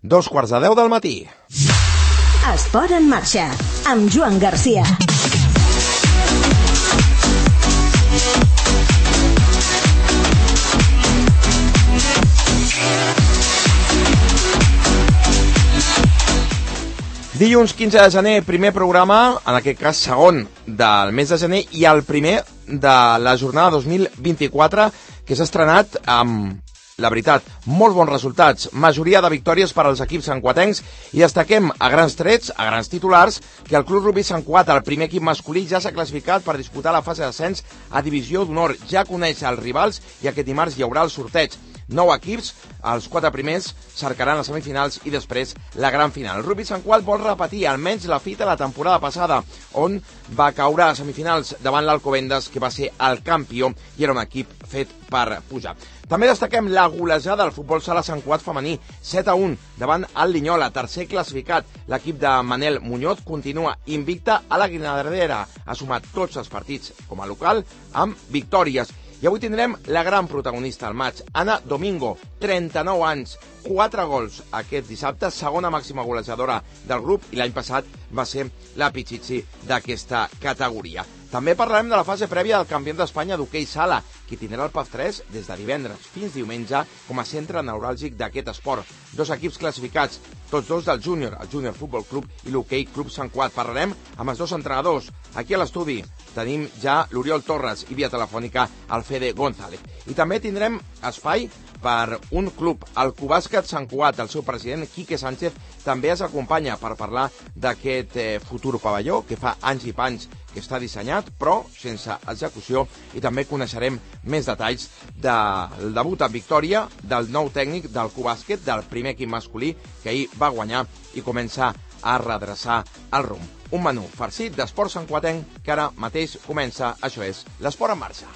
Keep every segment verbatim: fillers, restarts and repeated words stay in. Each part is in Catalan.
dos quarts de deu del matí. Esport en marxa, amb Joan Garcia. Dilluns quinze de gener, primer programa, en aquest cas segon del mes de gener i el primer de la jornada dos mil vint-i-quatre, que s'ha estrenat amb, la veritat, molts bons resultats, majoria de victòries per als equips santcuatencs, i destaquem a grans trets, a grans titulars, que el Club Rugby Sant Cugat, el primer equip masculí, ja s'ha classificat per disputar la fase d'ascens a Divisió d'Honor. Ja coneix els rivals i aquest dimarts hi haurà el sorteig. Nou equips, els quatre primers cercaran les semifinals i després la gran final. El Rugby Sant Cugat vol repetir almenys la fita de la temporada passada, on va caure a semifinals davant l'Alcobendas, que va ser el campió i era un equip fet per pujar. També destaquem la golejada del futbol sala Sant Cugat femení, set a un davant el Linyola, tercer classificat. L'equip de Manel Muñoz continua invicta a la Guinardera, ha sumat tots els partits com a local amb victòries. I avui tindrem la gran protagonista al maig, Ana Domingo, trenta-nou anys, quatre gols aquest dissabte, segona màxima golejadora del grup, i l'any passat va ser la Pichichi d'aquesta categoria. També parlarem de la fase prèvia del Campionat d'Espanya d'hoquei sala, que tindrà el P A F tres des de divendres fins diumenge com a centre neuràlgic d'aquest esport. Dos equips classificats, tots dos del júnior, el Júnior Futbol Club i l'Hoquei Club Sant Cugat. Parlarem amb els dos entrenadors. Aquí a l'estudi tenim ja l'Oriol Torres i via telefònica el Fede González. I també tindrem espai per un club, el Cubàsquet Sant Cugat. El seu president, Quique Sánchez, també es acompanya per parlar d'aquest eh, futur pavelló que fa anys i panys que està dissenyat, però sense execució, i també coneixerem més detalls del debut en victòria del nou tècnic del Cubàsquet, del primer equip masculí, que ahir va guanyar i comença a redreçar el rumb. Un menú farcit d'esport santcuatenc que ara mateix comença. Això és l'Esport en marxa.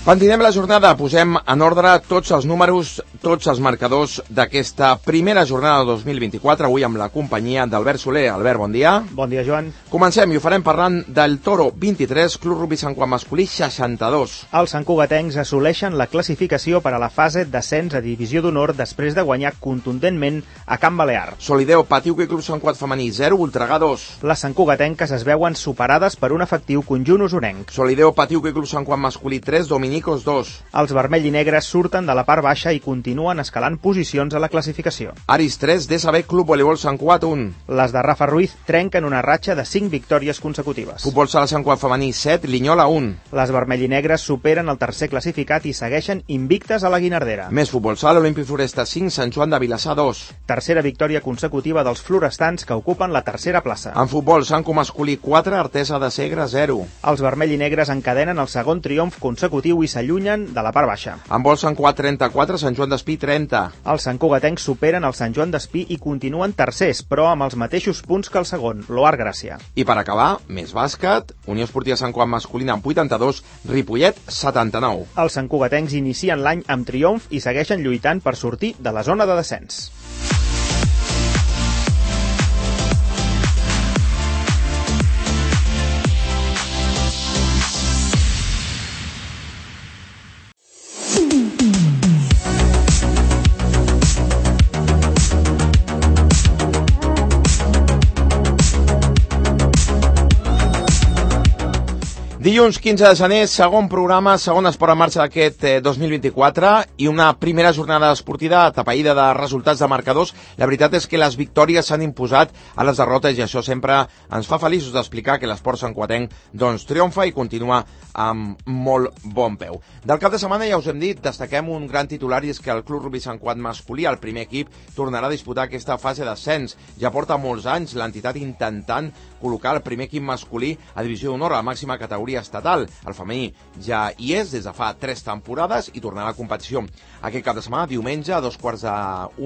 Continuem la jornada, posem en ordre tots els números, tots els marcadors d'aquesta primera jornada de dos mil vint-i-quatre, avui amb la companyia d'Albert Soler. Albert, bon dia. Bon dia, Joan. Comencem i ho farem parlant del Toro vint-i-tres, Club Rugby Sant Cugat masculí seixanta-dos. Els santcugatencs assoleixen la classificació per a la fase d'ascens a Divisió d'Honor després de guanyar contundentment a Can Balear. Solideo, Patiuca i Club Sant Cugat femení zero, Voltregà dos. Les santcugatenques es veuen superades per un efectiu conjunt usonenc. Solideo, Patiuca i Club Sant Cugat masculí tres, Dominic dos. Els vermell i negres surten de la part baixa i continuen escalant posicions a la classificació. Aris tres, D S B Club Voleibol Sant Cugat un. Les de Rafa Ruiz trenquen una ratxa de cinc victòries consecutives. Futbol sala Sant Cugat femení set, Linyola un. Les vermell i negres superen el tercer classificat i segueixen invictes a la Guinardera. Més futbol sala, Olímpic Floresta cinc, Sant Joan de Vilassar dos. Tercera victòria consecutiva dels florestans que ocupen la tercera plaça. En futbol, Santco masculí quatre, Artesa de Segre zero. Els vermell i negres encadenen el segon triomf consecutiu i s'allunyen de la part baixa. En vol Sant Cugat trenta-quatre, Sant Joan d'Espí trenta. Els santcugatencs superen el Sant Joan d'Espí i continuen tercers, però amb els mateixos punts que el segon, l'Oar Gràcia. I per acabar, més bàsquet, Unió Esportiva Sant Cugat masculina amb vuitanta-dos, Ripollet setanta-nou. Els santcugatencs inicien l'any amb triomf i segueixen lluitant per sortir de la zona de descens. Dilluns quinze de gener, segon programa, segon esport en marxa d'aquest eh, dos mil vint-i-quatre i una primera jornada esportiva atapeïda de resultats de marcadors. La veritat és que les victòries s'han imposat a les derrotes i això sempre ens fa feliços d'explicar que l'esport santcuatenc doncs triomfa i continua amb molt bon peu. Del cap de setmana, ja us hem dit, destaquem un gran titular i és que el Club Rugby Sant Cugat masculí, el primer equip, tornarà a disputar aquesta fase d'ascens. Ja porta molts anys l'entitat intentant col·locar el primer equip masculí a Divisió d'Honor, a la màxima categoria categoria estatal. El femení ja hi és des de fa tres temporades i tornarà a la competició aquest cap de setmana, diumenge, a dos quarts de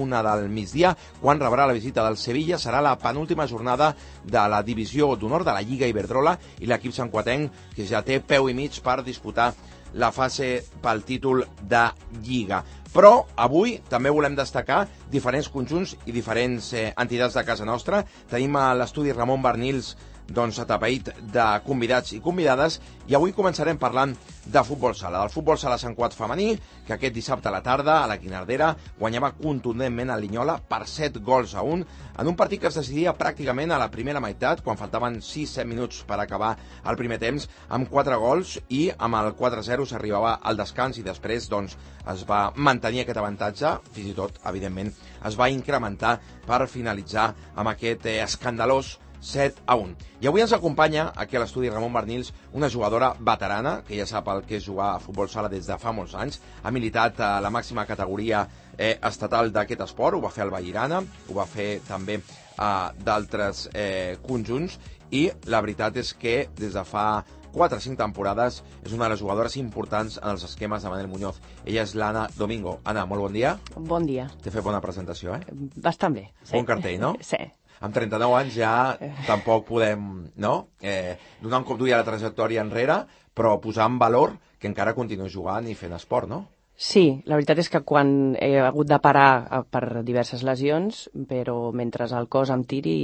una del migdia, quan rebrà la visita del Sevilla. Serà la penúltima jornada de la divisió d'honor de la Lliga Iberdrola i l'equip santcuatenc, que ja té peu i mig per disputar la fase pel títol de Lliga. Però avui també volem destacar diferents conjunts i diferents eh, entitats de casa nostra. Tenim a l'estudi Ramon Barnils, doncs, atapeït de convidats i convidades, i avui començarem parlant de futbol sala, del futbol sala Sant Cugat femení, que aquest dissabte a la tarda, a la Guinardera, guanyava contundentment a Linyola per set gols a un, en un partit que es decidia pràcticament a la primera meitat, quan faltaven sis set minuts per acabar el primer temps, amb quatre gols, i amb el quatre a zero s'arribava al descans, i després doncs, es va mantenir aquest avantatge, fins i tot, evidentment, es va incrementar per finalitzar amb aquest eh, escandalós set a un. I avui ens acompanya aquí a l'estudi Ramon Barnils una jugadora veterana, que ja sap el que és jugar a futbol sala des de fa molts anys. Ha militat a la màxima categoria eh, estatal d'aquest esport, ho va fer al Vallirana, ho va fer també a d'altres eh, conjunts, i la veritat és que des de fa quatre o cinc temporades és una de les jugadores importants en els esquemes de Manel Muñoz. Ella és l'Anna Domingo. Anna, molt bon dia. Bon dia. T'he fet bona presentació, eh? Bastant bé. Sí. Bon cartell, no? Sí. Amb trenta-nou anys ja tampoc podem, no?, eh, donar un cop d'ull a la trajectòria enrere, però posar en valor que encara continues jugant i fent esport, no? Sí, la veritat és que quan he hagut de parar per diverses lesions, però mentre el cos em tiri,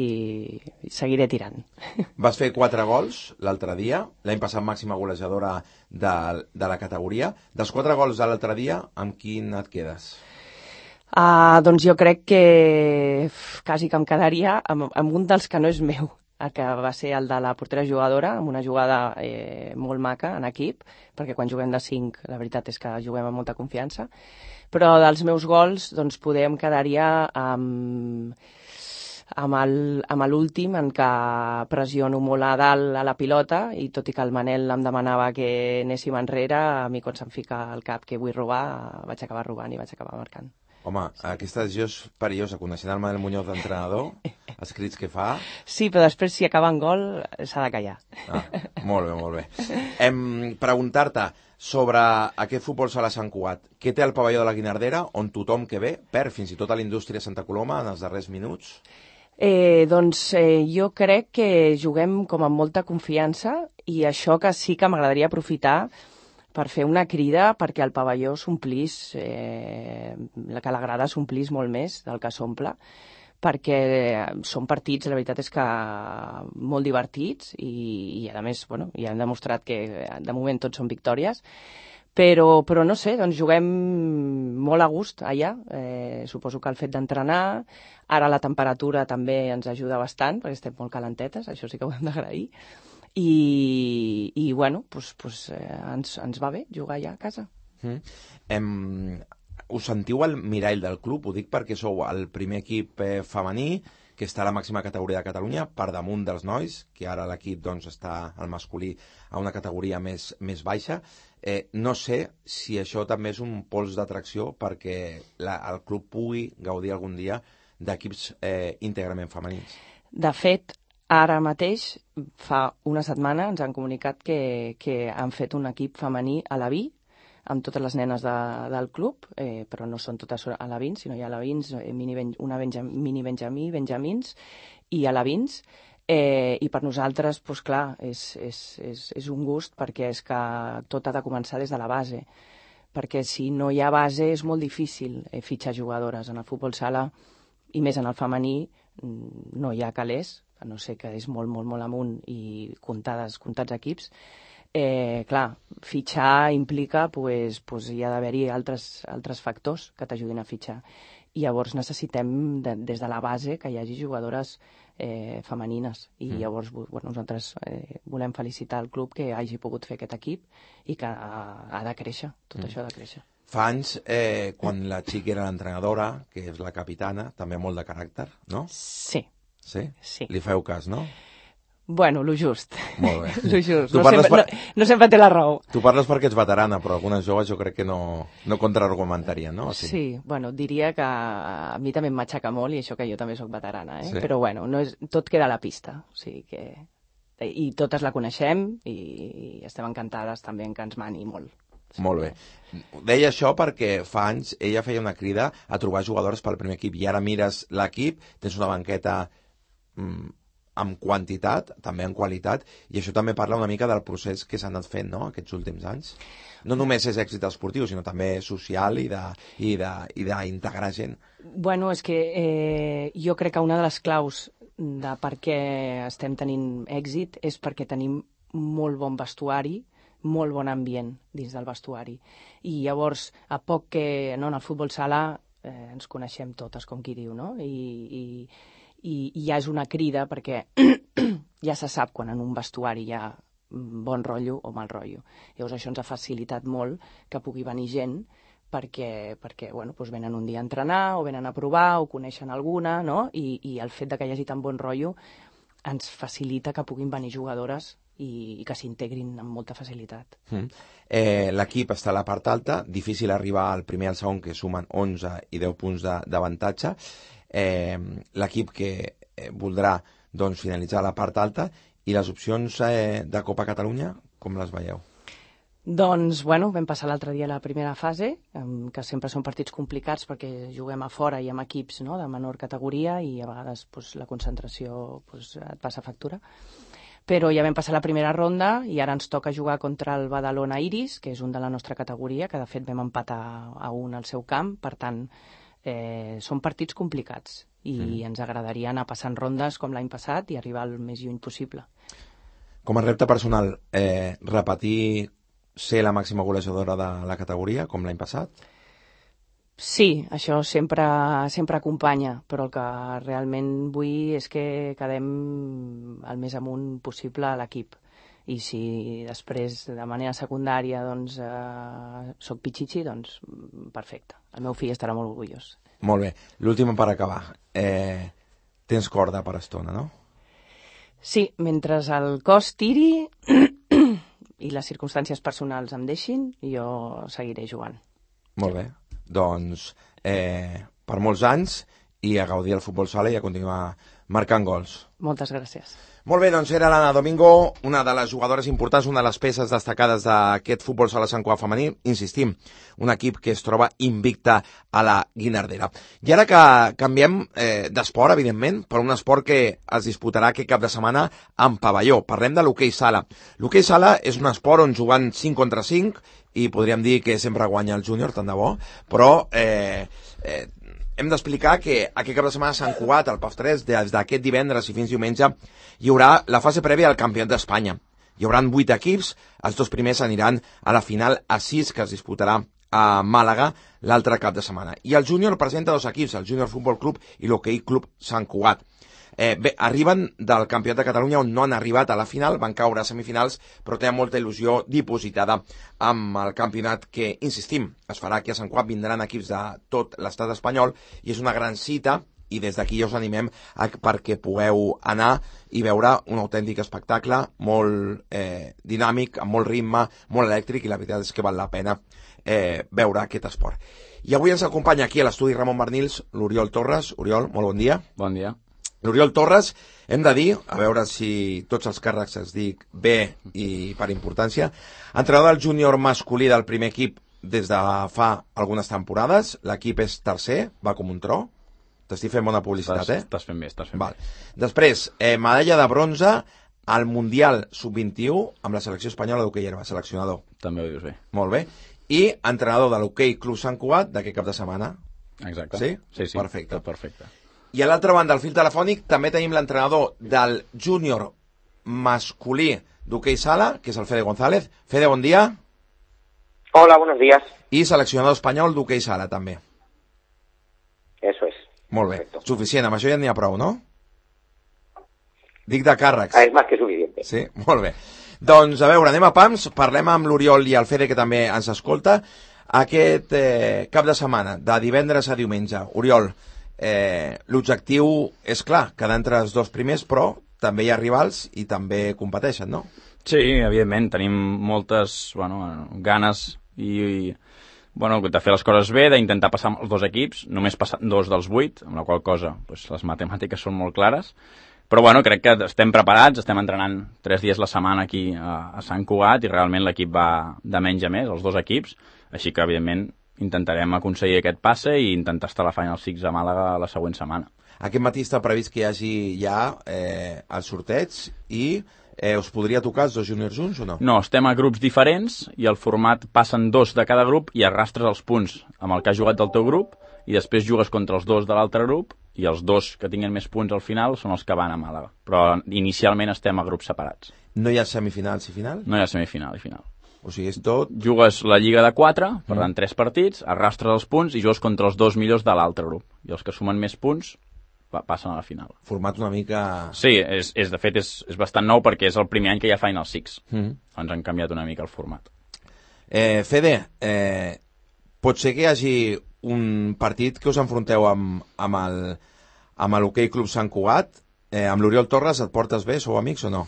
seguiré tirant. Vas fer quatre gols l'altre dia, l'any passat màxima golejadora de, de la categoria. Dels quatre gols de l'altre dia, amb quin et quedes? Uh, doncs jo crec que quasi que em quedaria amb, amb un dels que no és meu, el que va ser el de la portera jugadora, amb una jugada eh, molt maca en equip, perquè quan juguem de cinc la veritat és que juguem amb molta confiança, però dels meus gols doncs poder em quedaria amb, amb l'últim, en què pressiono molt a dalt a la pilota, i tot i que el Manel em demanava que anéssim enrere, a mi quan se'm fica al cap que vull robar, vaig acabar robant i vaig acabar marcant. Home, aquesta decisió és perillosa, coneixent el Manel Muñoz d'entrenador, els crits que fa... Sí, però després, si acaba en gol, s'ha de callar. Ah, molt bé, molt bé. Em preguntar-te sobre aquest futbol sala Sant Cugat. Què té el pavelló de la Guinardera, on tothom que ve perd, fins i tot a la indústria Santa Coloma, en els darrers minuts? Eh, doncs eh, jo crec que juguem com amb molta confiança, i això que sí que m'agradaria aprofitar per fer una crida perquè el pavelló s'omplís, eh, que la grada s'omplís molt més del que s'omple, perquè són partits, la veritat és que molt divertits, i, i a més, bueno, ja hem demostrat que de moment tots són victòries, però, però no sé, doncs juguem molt a gust allà, eh, suposo que el fet d'entrenar, ara la temperatura també ens ajuda bastant, perquè estem molt calentetes, això sí que ho hem d'agrair, i, i bueno, pues, pues, eh, ens, ens va bé jugar allà a casa. Mm. Em, us sentiu al mirall del club? Ho dic perquè sou el primer equip eh, femení que està a la màxima categoria de Catalunya, per damunt dels nois, que ara l'equip doncs, està al masculí a una categoria més, més baixa. Eh, no sé si això també és un pols d'atracció perquè la, el club pugui gaudir algun dia d'equips eh, íntegrament femenins. De fet, ara mateix, fa una setmana, ens han comunicat que, que han fet un equip femení a la Vi, amb totes les nenes de, del club, eh, però no són totes alevins, sinó hi ha alevins, eh, mini ben, una benjam, mini benjamí, benjamins i alevins, eh, i per nosaltres, doncs clar, és, és, és, és un gust, perquè és que tot ha de començar des de la base, perquè si no hi ha base és molt difícil eh, fitxar jugadores. En el futbol sala, i més en el femení, no hi ha calés, a no ser que és molt, molt, molt amunt i comptades, comptats equips. Eh, clar, fitxar implica, pues, pues hi ha d'haver-hi altres, altres factors que t'ajudin a fitxar. I llavors necessitem, de, des de la base, que hi hagi jugadores eh, femenines. I mm. llavors bueno, nosaltres eh, volem felicitar el club que hagi pogut fer aquest equip i que ha, ha de créixer, tot mm. això ha de créixer. Fa anys, eh, quan la Xic era l'entrenadora, que és la capitana, també molt de caràcter, no? Sí. Sí? Sí. Li feu cas, no? Bueno, lo just. Molt bé. Lo just. No sempre, per... no, no sempre té la raó. Tu parles perquè ets veterana, però algunes joves jo crec que no, no contraargumentarien, no? Sí. sí, bueno, diria que a mi també em matxaca molt, i això que jo també sóc veterana, eh? Sí. Però bueno, no és, tot queda a la pista, o sigui que i totes la coneixem i estem encantades també en que ens mani molt. Sí. Molt bé. Deia això perquè fa anys ella feia una crida a trobar jugadores pel primer equip i ara mires l'equip, tens una banqueta mm, amb quantitat, també en qualitat, i això també parla una mica del procés que s'ha anat fent, no?, aquests últims anys. No només és èxit esportiu, sinó també social i d'integrar gent. Bueno, és que eh, jo crec que una de les claus de per què estem tenint èxit és perquè tenim molt bon vestuari, molt bon ambient dins del vestuari. I llavors, a poc que no, en el futbol sala eh, ens coneixem totes, com qui diu, no? I, i, i, i ja és una crida perquè ja se sap quan en un vestuari hi ha bon rotllo o mal rotllo. Llavors això ens ha facilitat molt que pugui venir gent perquè, perquè bueno, doncs venen un dia a entrenar o venen a provar o coneixen alguna, no? I, i el fet de que hi hagi tan bon rotllo ens facilita que puguin venir jugadores i, i que s'integrin amb molta facilitat. Mm. Eh, L'equip està a la part alta, difícil arribar al primer i al segon, que sumen onze i deu punts d'avantatge. Eh, L'equip que eh, voldrà doncs, finalitzar a la part alta, i les opcions eh, de Copa Catalunya, com les veieu? Doncs, bueno, vam passar l'altre dia la primera fase, que sempre són partits complicats perquè juguem a fora i amb equips, no?, de menor categoria i a vegades pues, la concentració pues, et passa factura. Però ja vam passar la primera ronda i ara ens toca jugar contra el Badalona Iris, que és un de la nostra categoria, que de fet vam empatar a un al seu camp, per tant, eh, són partits complicats i mm. ens agradaria anar passant rondes com l'any passat i arribar el més lluny possible. Com a repte personal, eh, repetir ser la màxima golejadora de la categoria, com l'any passat? Sí, això sempre, sempre acompanya, però el que realment vull és que quedem el més amunt possible a l'equip. I si després, de manera secundària, doncs, eh, soc pitxitxi, doncs perfecte. El meu fill estarà molt orgullós. Molt bé. L'última per acabar. Eh, tens corda per estona, no? Sí, mentre el cos tiri i les circumstàncies personals em deixin, jo seguiré jugant. Molt bé. Doncs eh, per molts anys i a gaudir el futbol sala i a continuar marcant gols. Moltes gràcies. Molt bé, doncs era l'Anna Domingo, una de les jugadores importants, una de les peces destacades d'aquest futbol sala Sant Cugat femení. Insistim, un equip que es troba invicta a la Guinardera. I ara que canviem eh, d'esport, evidentment, per un esport que es disputarà aquest cap de setmana en pavelló. Parlem de l'hoquei sala. L'hoquei sala és un esport on jugant cinc contra cinc, i podríem dir que sempre guanya el júnior, tant de bo, però eh, eh, hem d'explicar que aquest cap de setmana a Sant Cugat, al P A F tres, des d'aquest divendres i fins diumenge, hi haurà la fase prèvia al Campionat d'Espanya. Hi haurà vuit equips, els dos primers aniran a la final a sis, que es disputarà a Màlaga l'altre cap de setmana. I el júnior presenta dos equips, el Júnior Futbol Club i l'Hoquei Club Sant Cugat. Eh, bé, arriben del Campionat de Catalunya on no han arribat a la final, van caure a semifinals, però tenen molta il·lusió dipositada amb el campionat que, insistim, es farà aquí a Sant Cugat, vindran equips de tot l'estat espanyol i és una gran cita i des d'aquí ja us animem a, perquè pugueu anar i veure un autèntic espectacle molt eh, dinàmic, amb molt ritme, molt elèctric, i la veritat és que val la pena eh, veure aquest esport. I avui ens acompanya aquí a l'estudi Ramon Bernils l'Oriol Torres. Oriol, molt bon dia. Bon dia. L'Oriol Torres, hem de dir, a veure si tots els càrrecs es dic bé i per importància, entrenador del júnior masculí del primer equip des de fa algunes temporades. L'equip és tercer, va com un tro. T'estic fent bona publicitat, estàs, eh? Estàs fent bé, estàs fent Val. bé. Després, eh, medalla de bronze al Mundial sub vint-i-u amb la selecció espanyola d'hoquei herba, seleccionador. També ho dius bé. Molt bé. I entrenador de l'Hoquei Club Sant Cugat d'aquest cap de setmana. Exacte. Sí? Sí, sí. Perfecte. Perfecte. I a l'altra banda, al fil telefònic, també tenim l'entrenador del júnior masculí d'hoquei sala, que és el Fede González. Fede, bon dia. Hola, buenos días. I seleccionador espanyol d'hoquei sala, també. Eso es. Molt bé. Perfecto. Suficient, amb això ja n'hi ha prou, no? Dic de càrrecs. Ah, és més que suficiente. Sí, molt bé. Doncs, a veure, anem a pams, parlem amb l'Oriol i el Fede, que també ens escolta, aquest eh, cap de setmana, de divendres a diumenge. Oriol, eh, l'objectiu és clar, quedar entre els dos primers, però també hi ha rivals i també competeixen, no? Sí, evidentment, tenim moltes bueno, ganes i, i bueno, de fer les coses bé, d'intentar passar els dos equips, només passar dos dels vuit, amb la qual cosa pues, les matemàtiques són molt clares, Però bueno, crec que estem preparats, estem entrenant tres dies la setmana aquí a, a Sant Cugat i realment l'equip va de menys a més, els dos equips, així que evidentment intentarem aconseguir aquest passe i intentar estar a la Final Six a Màlaga la següent setmana. Aquest matí està previst que hi hagi ja eh, el sorteig i eh, us podria tocar els dos juniors junts o no? No, estem a grups diferents i el format passen dos de cada grup i arrastres els punts amb el que has jugat del teu grup i després jugues contra els dos de l'altre grup i els dos que tinguin més punts al final són els que van a Màlaga. Però inicialment estem a grups separats. No hi ha semifinals i final? No hi ha semifinal i final. O sigui, és tot... Jugues la lliga de quatre, per tant, tres partits, arrastres els punts i jugues contra els dos millors de l'altre grup. I els que sumen més punts passen a la final. Format una mica... Sí, és, és, de fet és, és bastant nou perquè és el primer any que hi ha Final Six. Mm. Ens han canviat una mica el format. Eh, Fede, eh, pot ser que hi hagi un partit que us enfronteu amb, amb el amb l'Hockey Club Sant Cugat, eh, amb l'Oriol Torres, et portes bé? Sou amics o no?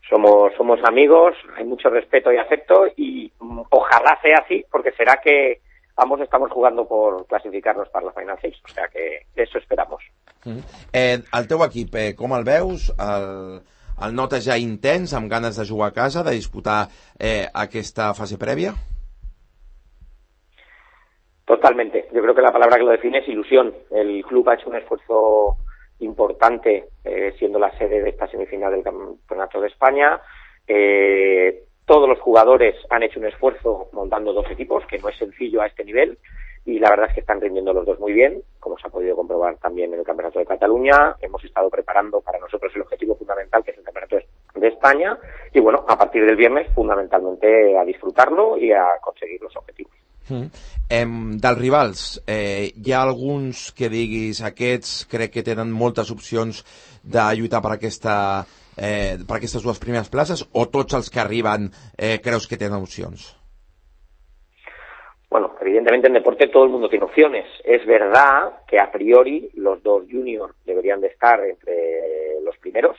Somos, somos amigos, hay mucho respeto y afecto y mm, ojalá sea así, porque será que ambos estamos jugando por clasificarnos para la Final Six, o sea que eso esperamos. Mm. Eh, el teu equip, eh, com el veus? El, el notes ja intens, amb ganes de jugar a casa, de disputar eh, aquesta fase prèvia? Totalmente. Yo creo que la palabra que lo define es ilusión. El club ha hecho un esfuerzo importante, eh, siendo la sede de esta semifinal del Campeonato de España. Eh, todos los jugadores han hecho un esfuerzo montando dos equipos, que no es sencillo a este nivel, y la verdad es que están rindiendo los dos muy bien, como se ha podido comprobar también en el Campeonato de Cataluña. Hemos estado preparando para nosotros el objetivo fundamental, que es el Campeonato de España, y bueno, a partir del viernes, fundamentalmente a disfrutarlo y a conseguir los objetivos. Mm. Em, dels rivals, eh, hi ha alguns que diguis aquests crec que tenen moltes opcions de lluitar per, aquesta, eh, per aquestes dues primeres places, o tots els que arriben eh, creus que tenen opcions? Bueno, evidentemente en deporte todo el mundo tiene opciones. Es verdad que a priori los dos juniors deberían de estar entre los primeros,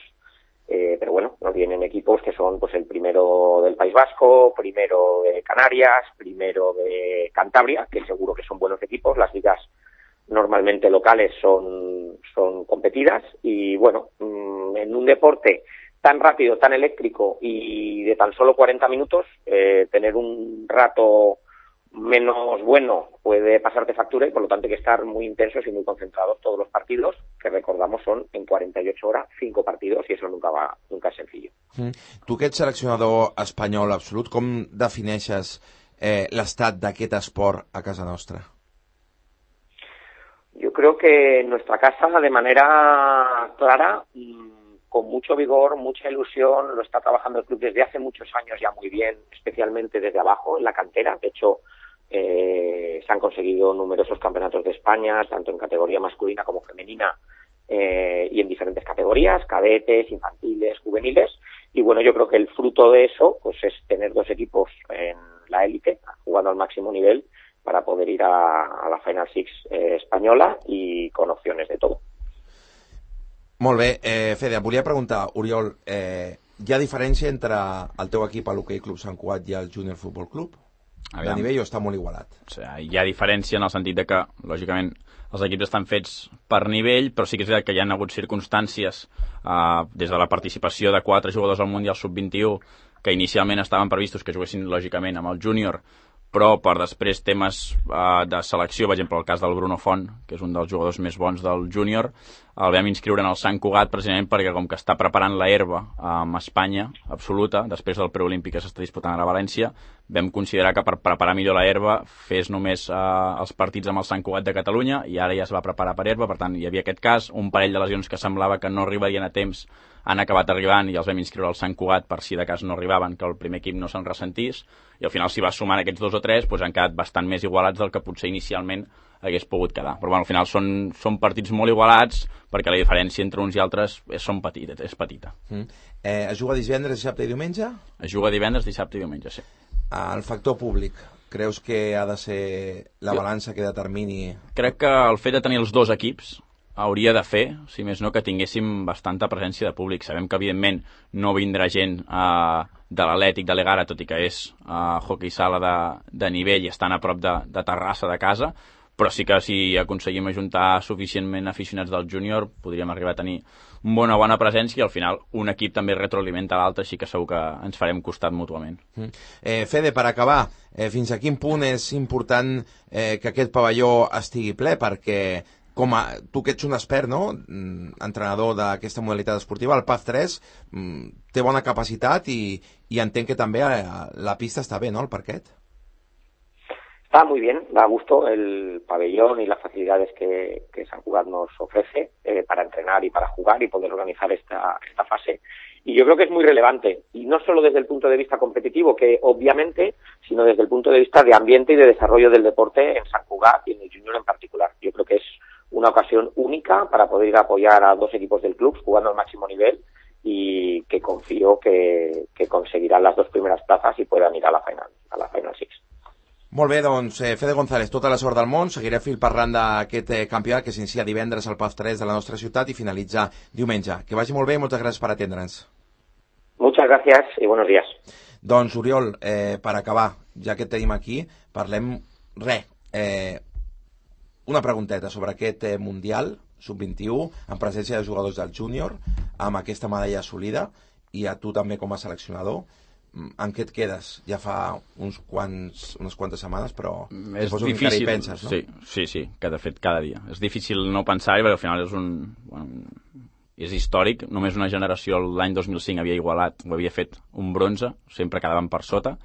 eh, pero bueno, nos vienen equipos que son pues el primero del País Vasco, primero de Canarias, primero de Cantabria, que seguro que son buenos equipos. Las ligas normalmente locales son, son competidas y bueno, mmm, en un deporte tan rápido, tan eléctrico y de tan solo cuarenta minutos, eh, tener un rato menos bueno puede pasarte factura y por lo tanto hay que estar muy intensos y muy concentrados todos los partidos, que recordamos son en cuarenta y ocho horas, cinco partidos, y eso nunca va, nunca es sencillo. Mm. Tu que ets seleccionador espanyol absolut, com defineixes eh, l'estat d'aquest esport a casa nostra? Yo creo que en nuestra casa, de manera clara, con mucho vigor, mucha ilusión, lo está trabajando el club desde hace muchos años ya muy bien, especialmente desde abajo, en la cantera. De hecho, eh, se han conseguido numerosos campeonatos de España, tanto en categoría masculina como femenina, eh, y en diferentes categorías, cadetes, infantiles, juveniles. Y bueno, yo creo que el fruto de eso pues es tener dos equipos en la élite, jugando al máximo nivel, para poder ir a, a la Final Six eh, espanyola i con opciones de todo. Molt bé, eh, Fede, em volia preguntar, Oriol, eh, hi ha diferència entre el teu equip a l'Hockey Club Sant Cugat i el Júnior Futbol Club? Aviam. De nivell o està molt igualat? O sigui, hi ha diferència en el sentit de que, lògicament, els equips estan fets per nivell, però sí que és veritat que hi ha hagut circumstàncies eh, des de la participació de quatre jugadors al Mundial sub vint-i-u que inicialment estaven previstos que juguessin, lògicament, amb el júnior, però per després temes uh, de selecció, per exemple el cas del Bruno Font, que és un dels jugadors més bons del júnior, el vam inscriure en el Sant Cugat precisament perquè com que està preparant la herba amb Espanya absoluta, després del preolímpic que s'està disputant a València, vam considerar que per preparar millor la herba fes només uh, els partits amb el Sant Cugat de Catalunya i ara ja es va preparar per herba, per tant hi havia aquest cas, un parell de lesions que semblava que no arribarien a temps han acabat arribant i els vam inscriure al Sant Cugat per si de cas no arribaven, que el primer equip no se'n ressentís, i al final s'hi va sumant aquests dos o tres, doncs han quedat bastant més igualats del que potser inicialment hagués pogut quedar. Però bueno, al final són, són partits molt igualats perquè la diferència entre uns i altres és, són petita, és petita. Mm. Eh, es juga divendres, dissabte i diumenge? Es juga divendres, dissabte i diumenge, sí. El factor públic, creus que ha de ser la balança que determini? Crec que el fet de tenir els dos equips hauria de fer, si més no, que tinguéssim bastanta presència de públic. Sabem que, evidentment, no vindrà gent eh, de l'Atlètic de l'Egara, tot i que és eh, hockey sala de, de nivell i estan a prop de, de Terrassa, de casa, però sí que si aconseguim ajuntar suficientment aficionats del júnior podríem arribar a tenir una bona presència i al final un equip també retroalimenta l'altre, així que segur que ens farem costat mútuament. Mm. Eh, Fede, per acabar, eh, fins a quin punt és important eh, que aquest pavelló estigui ple? Perquè com a, tu que ets un expert, no? Entrenador d'aquesta modalitat esportiva, el P A F tres té bona capacitat i, i entenc que també la pista està bé, ¿no? El parquet. Está muy bien, da gusto el pabellón y las facilidades que, que San Cugat nos ofrece eh, para entrenar y para jugar y poder organizar esta, esta fase. Y yo creo que es muy relevante, y no solo desde el punto de vista competitivo, que obviamente, sino desde el punto de vista de ambiente y de desarrollo del deporte en San Cugat y en el junior en particular. Yo creo que es una ocasión única para poder ir a apoyar a dos equipos del club jugando al máximo nivel y que confío que, que conseguirán las dos primeras plazas y puedan ir a la final, a la Final Six. Molt bé, doncs, eh, Fede González, tota la sort del món. Seguiré fil parlant d'aquest eh, campionat que s'inicia divendres al P A F tres de la nostra ciutat i finalitza diumenge. Que vagi molt bé i moltes gràcies per atendre'ns. Muchas gracias y buenos días. Doncs, Oriol, eh, per acabar, ja que et tenim aquí, parlem, res, eh, una pregunteta sobre aquest eh, Mundial sub vint-i-u, en presència de jugadors del júnior, amb aquesta medalla assolida, i a tu també com a seleccionador. En què et quedes? Ja fa uns quants, unes quantes setmanes, però és difícil, hi penses, no? Sí, sí, sí, que de fet cada dia. És difícil no pensar-hi, perquè al final és un... Bueno, és històric, només una generació l'any dos mil cinc havia igualat, ho havia fet un bronze, sempre quedàvem per sota,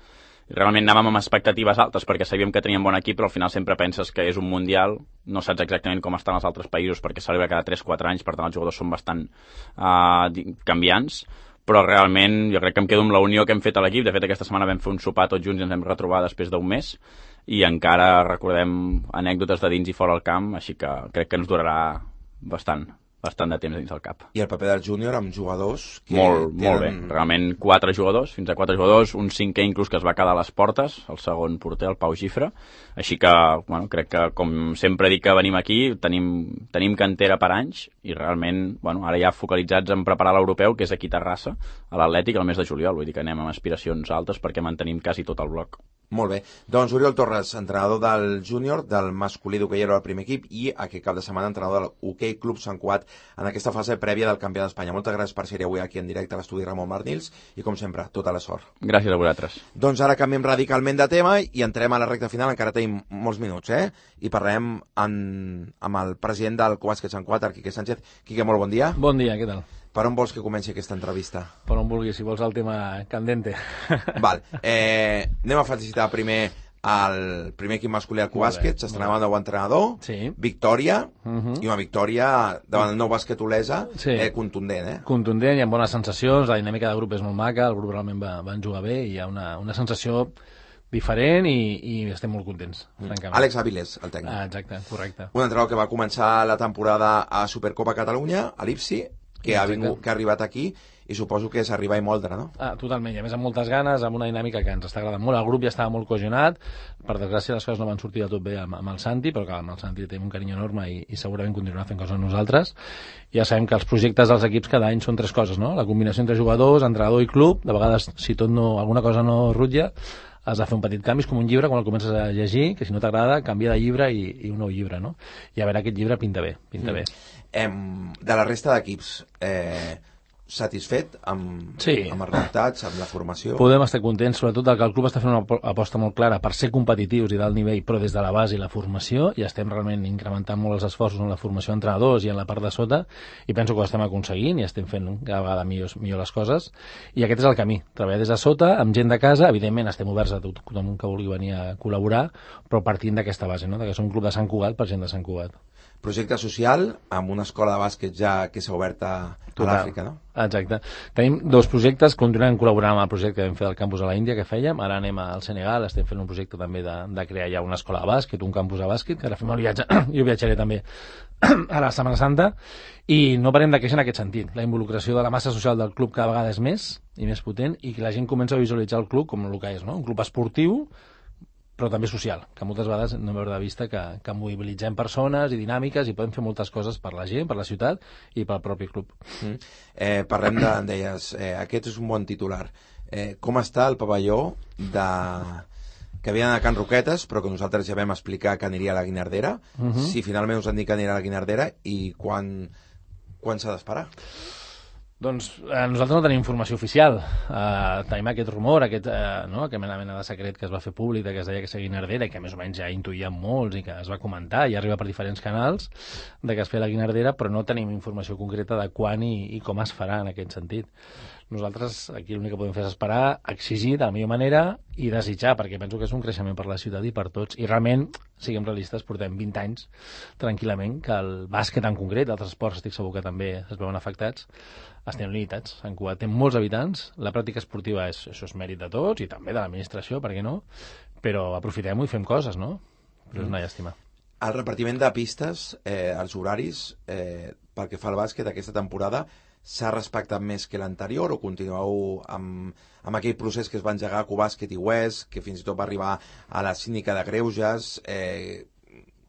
i realment anàvem amb expectatives altes perquè sabíem que teníem bon equip, però al final sempre penses que és un mundial, no saps exactament com estan els altres països perquè celebra cada tres quatre anys, per tant els jugadors són bastant uh, canviants, però realment jo crec que em quedo amb la unió que hem fet a l'equip. De fet, aquesta setmana vam fer un sopar tots junts i ens vam retrobar després d'un mes i encara recordem anècdotes de dins i fora del camp, així que crec que ens durarà bastant bastant de temps dins del cap. I el paper del júnior amb jugadors que molt, tenen... molt bé, realment quatre jugadors, fins a quatre jugadors, un cinquè inclús que es va quedar a les portes, el segon porter, el Pau Gifre, així que, bueno, crec que com sempre dic que venim aquí, tenim, tenim cantera per anys i realment, bueno, ara ja focalitzats en preparar l'europeu, que és aquí a Terrassa, a l'Atlètic, el mes de juliol, vull dir que anem amb aspiracions altes perquè mantenim quasi tot el bloc. Molt bé. Doncs Oriol Torres, entrenador del júnior, del masculí d'hoquei al primer equip i aquest cap de setmana entrenador del Hoquei Club Sant Cugat en aquesta fase prèvia del Campionat d'Espanya. Moltes gràcies per ser avui aquí en directe a l'estudi Ramon Marnils i, com sempre, tota la sort. Gràcies a vosaltres. Doncs ara canviem radicalment de tema i entrem a la recta final, encara tenim molts minuts, eh? I parlem en, amb el president del Cubàsquet Sant Cugat, Quique Sánchez. Quique, molt bon dia. Bon dia, què tal? Per on vols que comenci aquesta entrevista? Per on vulguis, si vols el tema candente. Val. Eh, anem a felicitar primer el primer equip masculí al Cubàsquet, s'estrenava el nou entrenador, sí. Victòria, uh -huh. i una victòria davant el nou bàsquet Olesa, sí. eh, contundent, eh? Contundent, hi ha bones sensacions, la dinàmica de grup és molt maca, el grup realment va, van jugar bé i hi ha una, una sensació diferent i, i estem molt contents, francament. Àlex Avilés, el tècnic. Ah, exacte, correcte. Un entrenador que va començar la temporada a Supercopa Catalunya, a l'Ipsi, que ha, vingut, que ha arribat aquí i suposo que és arribar i moldre, no? Ah, totalment, i a més amb moltes ganes, amb una dinàmica que ens està agradant molt. El grup ja estava molt cohesionat, per desgràcia les coses no van sortir de tot bé amb, amb el Santi, però que amb el Santi tenim un carinyo enorme i, i segurament continuarà fent coses amb nosaltres. Ja sabem que els projectes dels equips cada any són tres coses, no? La combinació entre jugadors, entrenador i club, de vegades si tot no, alguna cosa no rutlla, has de fer un petit canvi, és com un llibre quan el comences a llegir, que si no t'agrada, canvia de llibre i, i un nou llibre, no? I a veure, aquest llibre pinta bé, pinta mm. bé. Em, de la resta d'equips, eh, satisfet amb, sí. amb els resultats, amb la formació? Podem estar contents, sobretot que el club està fent una aposta molt clara per ser competitius i d'alt nivell, però des de la base i la formació, i estem realment incrementant molt els esforços en la formació d'entrenadors i en la part de sota, i penso que ho estem aconseguint i estem fent cada vegada millor, millor les coses, i aquest és el camí, treballar des de sota, amb gent de casa, evidentment estem oberts a tothom que vulgui venir a col·laborar, però partint d'aquesta base, no? Que som un club de Sant Cugat per gent de Sant Cugat. Projecte social amb una escola de bàsquet ja que s'ha obert a, a l'Àfrica, no? Exacte. Tenim dos projectes, continuem col·laborant amb el projecte que vam fer del campus a la Índia que fèiem, ara anem al Senegal, estem fent un projecte també de, de crear ja una escola de bàsquet, un campus de bàsquet, que ara fem el viatge, jo viatjaré també a la Setmana Santa, i no parem de créixer en aquest sentit. La involucració de la massa social del club cada vegada és més i més potent, i que la gent comença a visualitzar el club com el que és, no? Un club esportiu, però també social, que moltes vegades no veure de vista que, que mobilitzem persones i dinàmiques i podem fer moltes coses per la gent, per la ciutat i pel propi club. Mm. Eh, parlem de, deies, eh, aquest és un bon titular. Eh, com està el pavelló de... que havia d'anar a Can Roquetes, però que nosaltres ja vam explicar que aniria a la Guinardera. Uh -huh. Si finalment us han dit que anirà a la Guinardera, i quan, quan s'ha d'esperar? Doncs eh, nosaltres no tenim informació oficial. Eh, tenim aquest rumor, aquest, eh, no? aquest mena, mena de secret que es va fer públic, que es deia que seria Guinardera, i que més o menys ja intuïem molts i que es va comentar i arriba per diferents canals de que es feia la Guinardera, però no tenim informació concreta de quan i, i com es farà en aquest sentit. Nosaltres aquí l'únic que podem fer és esperar, exigir de la millor manera i desitjar, perquè penso que és un creixement per la ciutat i per tots. I realment, siguem realistes, portem vint anys tranquil·lament que el bàsquet en concret, altres esports estic segur que també es veuen afectats, estem limitats. Sant Cugat té molts habitants, la pràctica esportiva és, això és mèrit de tots i també de l'administració, per què no? Però aprofitem-ho i fem coses, no? Però és una llàstima. El repartiment de pistes, eh, els horaris, eh, pel que fa al bàsquet aquesta temporada, s'ha respectat més que l'anterior o continueu amb, amb aquell procés que es va engegar a Cubàsquet i West, que fins i tot va arribar a la síndica de greuges? Eh,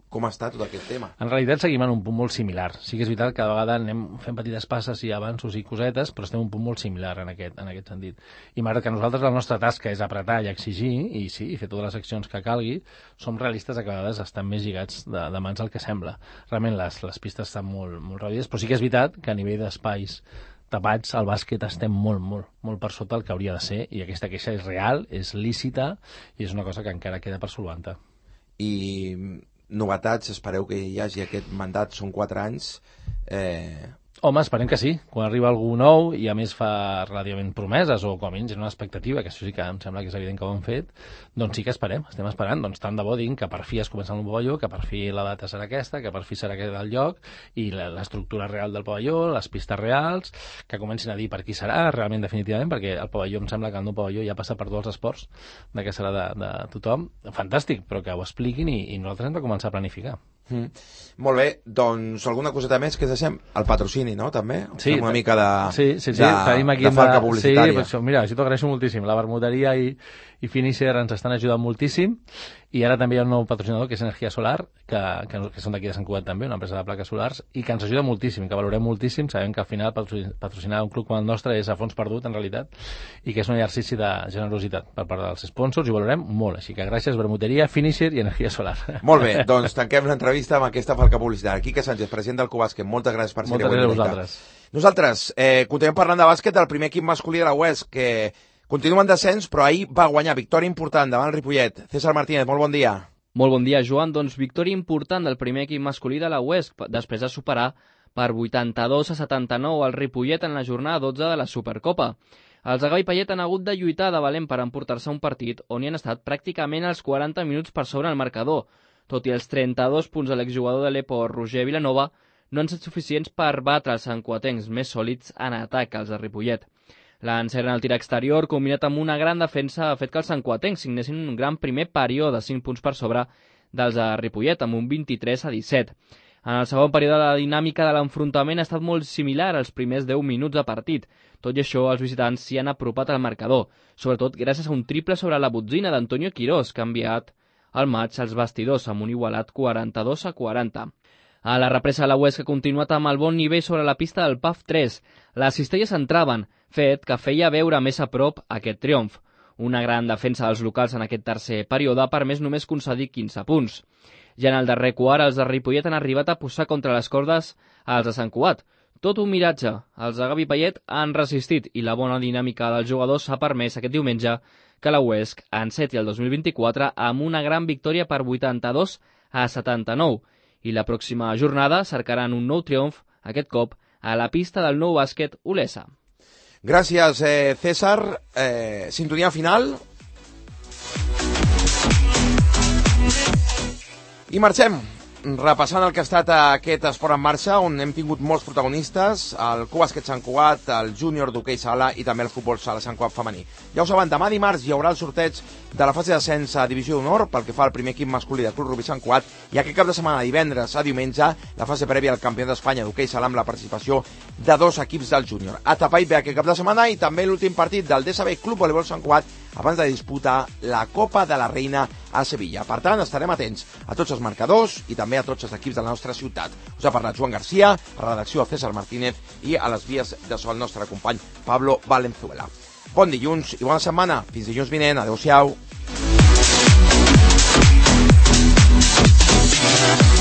com està tot aquest tema? En realitat seguim en un punt molt similar. Sí que és veritat que cada vegada anem fent petites passes i avanços i cosetes, però estem en un punt molt similar en aquest, en aquest sentit. I malgrat que nosaltres la nostra tasca és apretar i exigir, i sí, i fer totes les accions que calgui, som realistes que a vegades estan més lligats de, de mans del que sembla. Realment les, les pistes estan molt, molt reduïdes, però sí que és veritat que a nivell d'espais tapats, al bàsquet estem molt, molt, molt per sota el que hauria de ser, i aquesta queixa és real, és lícita, i és una cosa que encara queda per solucionar. I novetats, espereu que hi hagi aquest mandat, són quatre anys. Eh... Home, esperem que sí. Quan arriba algú nou i a més fa relativament promeses o com a mínim una expectativa, que això sí que em sembla que és evident que ho han fet, doncs sí que esperem, estem esperant. Doncs tant de bo diguin que per fi es comença el pavelló, que per fi la data serà aquesta, que per fi serà aquest el lloc i l'estructura real del pavelló, les pistes reals, que comencin a dir per qui serà realment definitivament, perquè el pavelló em sembla que el nou pavelló ja passa per tots els esports, de que serà de, de tothom. Fantàstic, però que ho expliquin i, i nosaltres hem de començar a planificar. Mm. Molt bé, doncs alguna coseta més que deixem? El patrocini, no? També? Sí, una mica de, sí, sí, sí. de, Tenim aquí de falca de... publicitària. Sí, això, mira, això t'ho agraeixo moltíssim. La Bermuderia i, i Finisher ens estan ajudant moltíssim, i ara també hi ha un nou patrocinador que és Energia Solar, que, que, que són d'aquí de Sant Cugat també, una empresa de plaques solars, i que ens ajuda moltíssim, que valorem moltíssim. Sabem que al final patrocinar un club com el nostre és a fons perdut en realitat, i que és un exercici de generositat per part dels sponsors, i ho valorem molt. Així que gràcies Bermuderia, Finisher i Energia Solar. Molt bé, doncs tanquem l'entrevista amb aquesta falca publicitària. Quique Sánchez, president del Cubàsquet, moltes gràcies per ser-hi avui. Moltes gràcies a vosaltres. Nosaltres eh, continuem parlant de bàsquet del primer equip masculí de la U E S, que continua en descens, però ahir va guanyar victòria important davant el Ripollet. César Martínez, molt bon dia. Molt bon dia, Joan. Doncs victòria important del primer equip masculí de la U E S, després de superar per vuitanta-dos a setanta-nou el Ripollet en la jornada dotze de la Supercopa. Els de Gavi Payet han hagut de lluitar de valent per emportar-se un partit on hi han estat pràcticament els quaranta minuts per sobre el marcador. Tot i els trenta-dos punts de l'exjugador de l'Epo, Roger Vilanova, no han estat suficients per batre els santcuatencs més sòlids en atac als de Ripollet. L'encert en el tir exterior, combinat amb una gran defensa, ha fet que els santcuatencs signessin un gran primer període de cinc punts per sobre dels de Ripollet, amb un vint-i-tres a disset. En el segon període, la dinàmica de l'enfrontament ha estat molt similar als primers deu minuts de partit. Tot i això, els visitants s'hi han apropat al marcador, sobretot gràcies a un triple sobre la botzina d'Antonio Quirós, que ha enviat el maig als vestidors amb un igualat quaranta-dos a quaranta. A la represa, la U E S que ha continuat amb el bon nivell sobre la pista del P A F tres. Les cistelles entraven, fet que feia veure més a prop aquest triomf. Una gran defensa dels locals en aquest tercer període ha permès només concedir quinze punts. Ja en el darrer quart, els de Ripollet han arribat a posar contra les cordes als de Sant Cugat. Tot un miratge. Els de Gavi Payet han resistit i la bona dinàmica dels jugadors ha permès aquest diumenge que la U E S enceti el dos mil vint-i-quatre amb una gran victòria per vuitanta-dos a setanta-nou. I la pròxima jornada cercaran un nou triomf, aquest cop a la pista del Nou Bàsquet Olesa. Gràcies, eh, César. Eh, sintonia final. I marxem, repassant el que ha estat aquest esport en marxa, on hem tingut molts protagonistes, el Cubàsquet Sant Cugat, el júnior d'hoquei sala i també el futbol sala Sant Cugat femení. Ja ho saben, demà dimarts hi haurà el sorteig de la fase d'ascens a Divisió d'Honor pel que fa al primer equip masculí del Club Rugby Sant Cugat, i aquest cap de setmana, divendres a diumenge, la fase prèvia al Campionat d'Espanya d'hoquei sala amb la participació de dos equips del júnior. A Tapai ve aquest cap de setmana, i també l'últim partit del D S B Club Voleibol Sant Cugat abans de disputar la Copa de la Reina a Sevilla. Per tant, estarem atents a tots els marcadors i també a tots els equips de la nostra ciutat. Us ha parlat Joan Garcia, a la redacció César Martínez i a les vies de so el nostre company Pablo Valenzuela. Bon dilluns i bona setmana. Fins dilluns vinent. Adéu-siau. Música